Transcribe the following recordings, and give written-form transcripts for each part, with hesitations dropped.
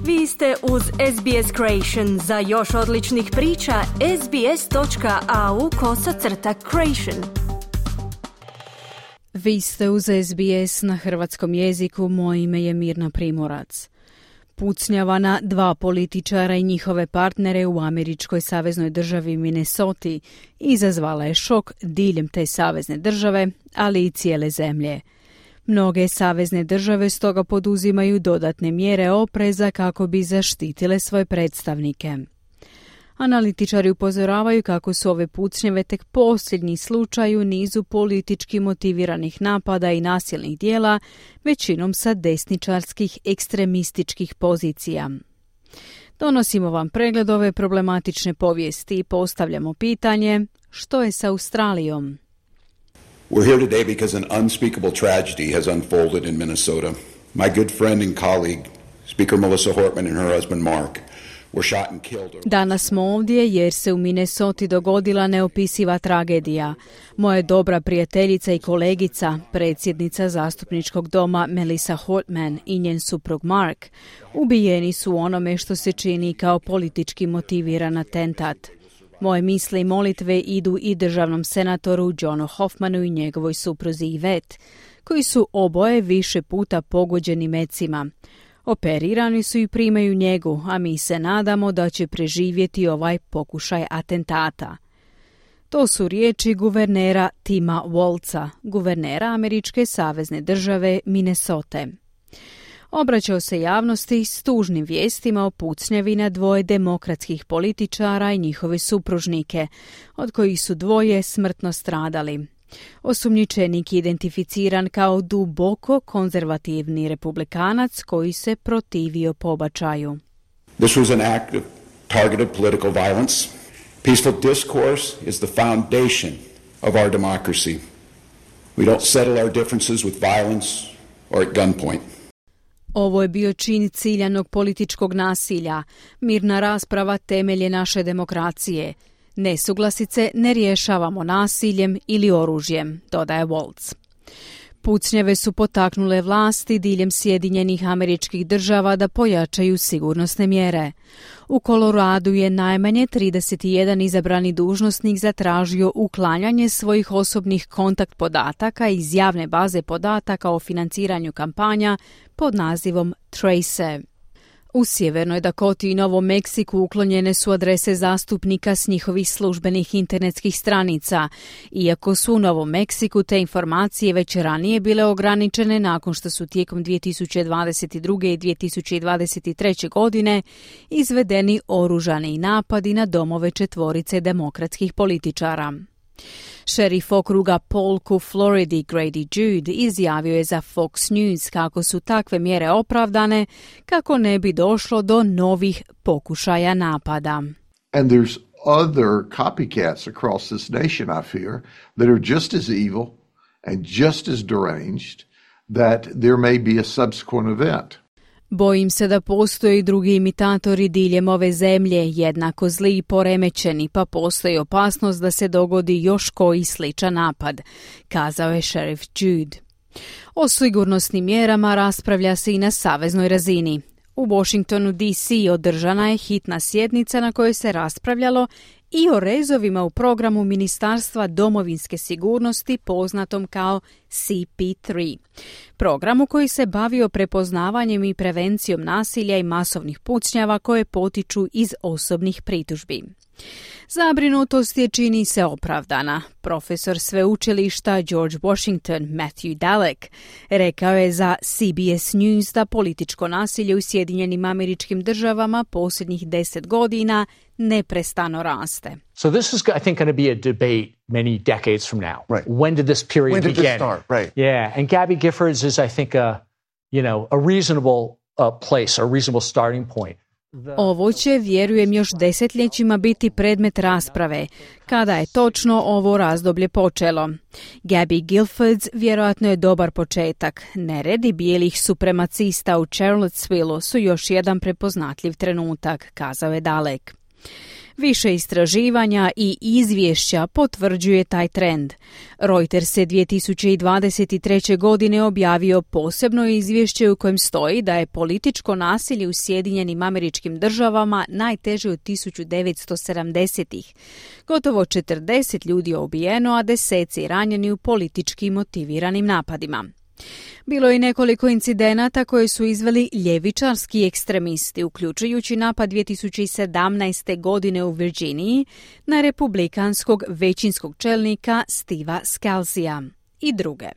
Vi ste uz SBS Creation. Za još odličnih priča, sbs.au/creation. Vi ste uz SBS na hrvatskom jeziku, moje ime je Mirna Primorac. Pucnjava na dva političara i njihove partnere u američkoj saveznoj državi Minnesoti izazvala je šok diljem te savezne države, ali i cijele zemlje. Mnoge savezne države stoga poduzimaju dodatne mjere opreza kako bi zaštitile svoje predstavnike. Analitičari upozoravaju kako su ove pucnjave tek posljednji slučaj u nizu politički motiviranih napada i nasilnih djela, većinom sa desničarskih ekstremističkih pozicija. Donosimo vam pregled ove problematične povijesti i postavljamo pitanje: što je s Australijom? We're here today because an unspeakable tragedy has unfolded in Minnesota. My good friend and colleague, Speaker Melissa Hortman and her husband Mark, were shot and killed. Danas smo ovdje jer se u Minnesoti dogodila neopisiva tragedija. Moja dobra prijateljica i kolegica, predsjednica zastupničkog doma Melissa Hortman i njen suprug Mark, ubijeni su u onome što se čini kao politički motiviran atentat. Moje misli i molitve idu i državnom senatoru Johnu Hoffmanu i njegovoj supruzi Yvette, koji su oboje više puta pogođeni mecima. Operirani su i primaju njegu, a mi se nadamo da će preživjeti ovaj pokušaj atentata. To su riječi guvernera Tima Walza, guvernera američke savezne države Minnesote. Obraćao se javnosti s tužnim vijestima o pucnjavi na dvoje demokratskih političara i njihove supružnike, od kojih su dvoje smrtno stradali. Osumnjičenik je identificiran kao duboko konzervativni republikanac koji se protivio pobačaju. This was an act of targeted political violence. Peaceful discourse is the foundation of our democracy. We don't settle our differences with violence or at gunpoint. Ovo je bio čin ciljanog političkog nasilja. Mirna rasprava temelje naše demokracije. Nesuglasice ne rješavamo nasiljem ili oružjem, dodaje Walz. Pucnjave su potaknule vlasti diljem Sjedinjenih Američkih Država da pojačaju sigurnosne mjere. U Koloradu je najmanje 31 izabrani dužnosnik zatražio uklanjanje svojih osobnih kontakt podataka iz javne baze podataka o financiranju kampanja pod nazivom Trace. U Sjevernoj Dakoti i Novom Meksiku uklonjene su adrese zastupnika s njihovih službenih internetskih stranica, iako su u Novom Meksiku te informacije već ranije bile ograničene nakon što su tijekom 2022. i 2023. godine izvedeni oružani napadi na domove četvorice demokratskih političara. Šerif okruga Polk u Floridi Grady Jude izjavio je za Fox News kako su takve mjere opravdane kako ne bi došlo do novih pokušaja napada. And there's other copycats across this nation, I fear, that are just as evil and just as deranged that there may be a subsequent event. Bojim se da postoje i drugi imitatori diljem ove zemlje, jednako zli i poremećeni, pa postoji opasnost da se dogodi još koji sličan napad, kazao je šerif Jude. O sigurnosnim mjerama raspravlja se i na saveznoj razini. U Washingtonu DC održana je hitna sjednica na kojoj se raspravljalo i o rezovima u programu Ministarstva domovinske sigurnosti poznatom kao CP3. Programu koji se bavio prepoznavanjem i prevencijom nasilja i masovnih pucnjava koje potiču iz osobnih pritužbi. Zabrinutost je čini se opravdana. Profesor sveučilišta George Washington Matthew Dalek rekao je za CBS News da političko nasilje u Sjedinjenim Američkim Državama posljednjih 10 godina neprestano raste. So this is, I think, going to be a debate many decades from now. Right. When did this period begin? When did this start? Right. Yeah, and Gabby Giffords is, I think, a reasonable place, a reasonable starting point. Ovo će, vjerujem, još desetljećima biti predmet rasprave, kada je točno ovo razdoblje počelo. Gabby Giffords vjerojatno je dobar početak. Neredi bijelih supremacista u Charlottesvilleu su još jedan prepoznatljiv trenutak, kazao je Dalek. Više istraživanja i izvješća potvrđuje taj trend. Reuters je 2023. godine objavio posebno izvješće u kojem stoji da je političko nasilje u Sjedinjenim Američkim Državama najteže od 1970-ih. Gotovo 40 ljudi je ubijeno, a deseci ranjeni u politički motiviranim napadima. Bilo je nekoliko incidenata koje su izveli ljevičarski ekstremisti, uključujući napad 2017. godine u Virginiji na republikanskog većinskog čelnika Steva Scalzia i druge.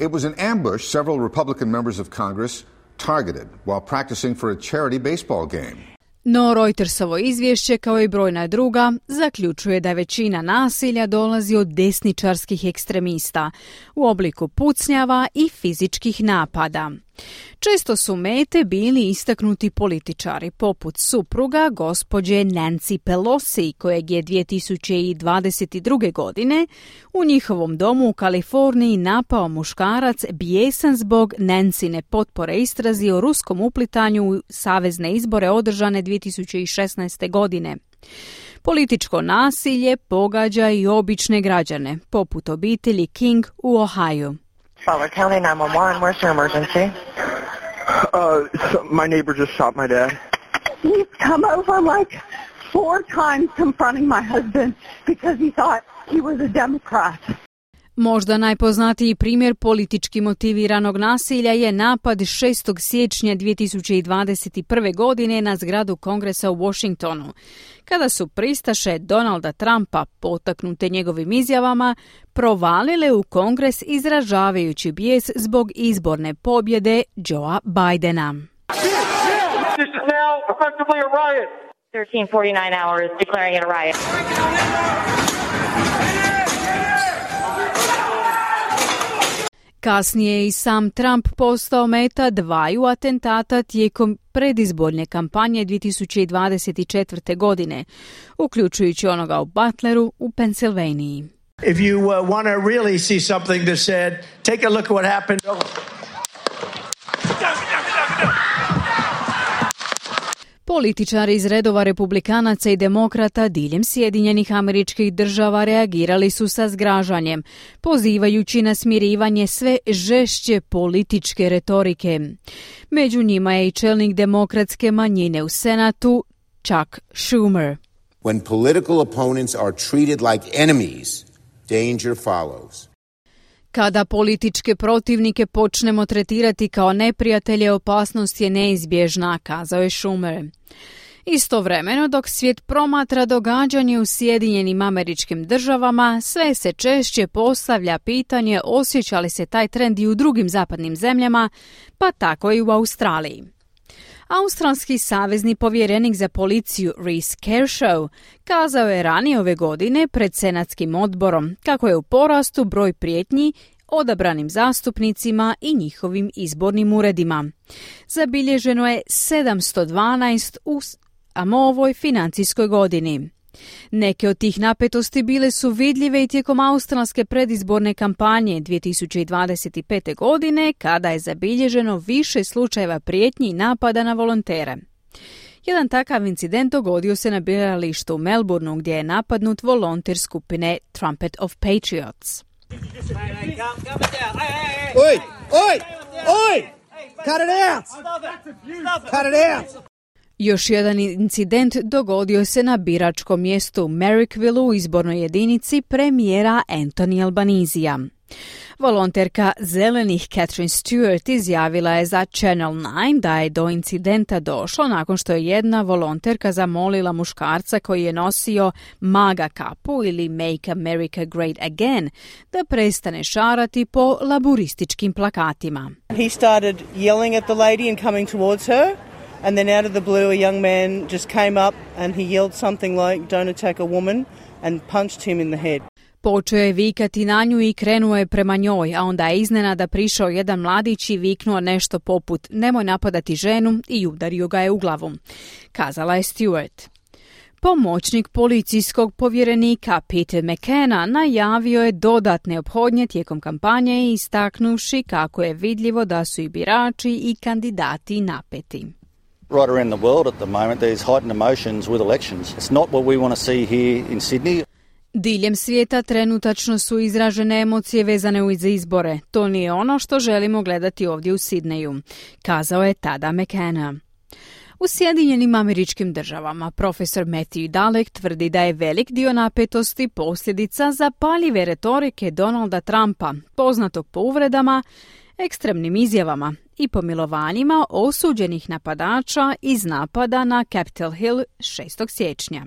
It was an ambush several Republican members of Congress targeted while practicing for a charity baseball game. No Reutersovo izvješće, kao i brojna druga, zaključuje da većina nasilja dolazi od desničarskih ekstremista u obliku pucnjava i fizičkih napada. Često su mete bili istaknuti političari, poput supruga gospođe Nancy Pelosi, kojeg je 2022. godine u njihovom domu u Kaliforniji napao muškarac bijesan zbog Nancine potpore istrazi o ruskom uplitanju u savezne izbore održane 2016. godine. Političko nasilje pogađa i obične građane, poput obitelji King u Ohio. Butler County 911, where's your emergency? My neighbor just shot my dad. He's come over like 4 times confronting my husband because he thought he was a Democrat. Možda najpoznatiji primjer politički motiviranog nasilja je napad 6. siječnja 2021. godine na zgradu Kongresa u Washingtonu, kada su pristaše Donalda Trumpa, potaknute njegovim izjavama, provalile u Kongres izražavajući bijes zbog izborne pobjede Joea Bidena. This is now effectively a riot. 1349 hours declaring it a riot. Kasnije je i sam Trump postao meta 2 atentata tijekom predizborne kampanje 2024. godine, uključujući onoga u Butleru u Pensilvaniji. If you want to really see something that said, take a look at what happened. Političari iz redova republikanaca i demokrata diljem Sjedinjenih Američkih Država reagirali su sa zgražanjem, pozivajući na smirivanje sve žešće političke retorike. Među njima je i čelnik demokratske manjine u Senatu, Chuck Schumer. When political opponents are treated like enemies, danger follows. Kada političke protivnike počnemo tretirati kao neprijatelje, opasnost je neizbježna, kazao je Schumer. Istovremeno, dok svijet promatra događanje u Sjedinjenim Američkim Državama, sve se češće postavlja pitanje osjeća li se taj trend i u drugim zapadnim zemljama, pa tako i u Australiji. Australski savezni povjerenik za policiju Reece Kershaw kazao je ranije ove godine pred senatskim odborom kako je u porastu broj prijetnji odabranim zastupnicima i njihovim izbornim uredima. Zabilježeno je 712 u ovoj financijskoj godini. Neke od tih napetosti bile su vidljive i tijekom australske predizborne kampanje 2025. godine, kada je zabilježeno više slučajeva prijetnji i napada na volontere. Jedan takav incident dogodio se na biralištu u Melbourneu, gdje je napadnut volonter skupine Trumpet of Patriots. Oi! Oi! Oi! Cut it out! Cut it out! Još jedan incident dogodio se na biračkom mjestu u Marrickville u izbornoj jedinici premijera Anthony Albanisija. Volonterka Zelenih Catherine Stewart izjavila je za Channel 9 da je do incidenta došlo nakon što je jedna volonterka zamolila muškarca koji je nosio MAGA kapu ili Make America Great Again da prestane šarati po laburističkim plakatima. He started yelling at the lady and coming towards her. And then out of the blue, a young man just came up and he yelled something like, "Don't attack a woman," and punched him in the head. Počeo je vikati na nju i krenuo je prema njoj, a onda je iznenada prišao jedan mladić i viknuo nešto poput "Nemoj napadati ženu" i udario ga je u glavu, kazala je Stewart. Pomoćnik policijskog povjerenika Peter McKenna najavio je dodatne ophodnje tijekom kampanje, istaknuvši kako je vidljivo da su i birači i kandidati napeti. Right around the world at the moment, there's heightened emotions with elections. It's not what we want to see here in Sydney. Diljem svijeta trenutačno su izražene emocije vezane uz izbore. To nije ono što želimo gledati ovdje u Sidneju, kazao je tada McKenna. U Sjedinjenim Američkim Državama profesor Matthew Dalek tvrdi da je velik dio napetosti posljedica zapaljive retorike Donalda Trumpa, poznatog po uvredama, ekstremnim izjavama i pomilovanjima osuđenih napadača iz napada na Capitol Hill 6. siječnja.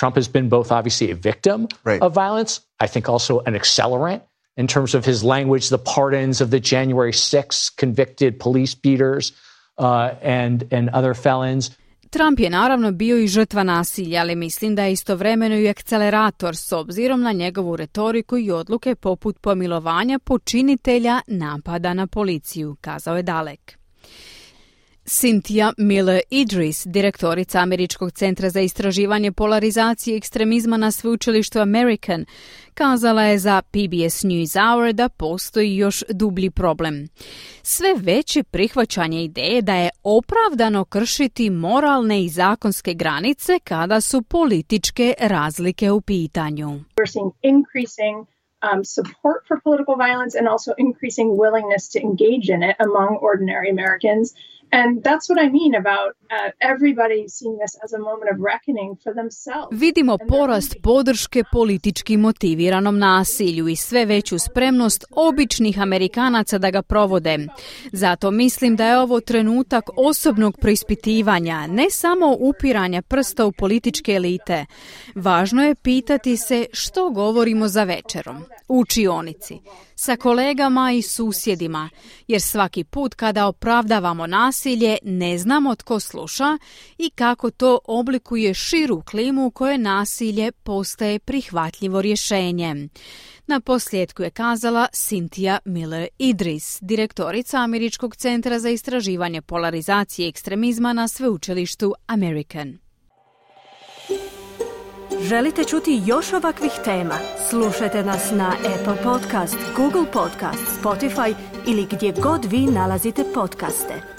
Trump has been both obviously a victim of violence, I think also an accelerant in terms of his language, the pardons of the January 6 convicted police beaters and other felons. Trump je naravno bio i žrtva nasilja, ali mislim da je istovremeno i akcelerator s obzirom na njegovu retoriku i odluke poput pomilovanja počinitelja napada na policiju, kazao je Dalek. Cynthia Miller-Idris, direktorica Američkog centra za istraživanje polarizacije i ekstremizma na sveučilištu American, kazala je za PBS NewsHour da postoji još dublji problem. Sve veće prihvaćanje ideje da je opravdano kršiti moralne i zakonske granice kada su političke razlike u pitanju. We're seeing increasing support for political violence and also increasing willingness to engage in it among ordinary Americans. And that's what I mean about everybody seeing this as a moment of reckoning for themselves. Vidimo porast podrške politički motiviranom nasilju i sve veću spremnost običnih Amerikanaca da ga provode. Zato mislim da je ovo trenutak osobnog preispitivanja, ne samo upiranja prsta u političke elite. Važno je pitati se što govorimo za večerom, u učionici, sa kolegama i susjedima, jer svaki put kada opravdavamo nasilje ne znamo tko sluša i kako to oblikuje širu klimu u kojoj nasilje postaje prihvatljivo rješenje. Na posljedku je kazala Cynthia Miller-Idris, direktorica Američkog centra za istraživanje polarizacije i ekstremizma na sveučilištu American. Želite čuti još ovakvih tema? Slušajte nas na Apple Podcast, Google Podcast, Spotify ili gdje god vi nalazite podcaste.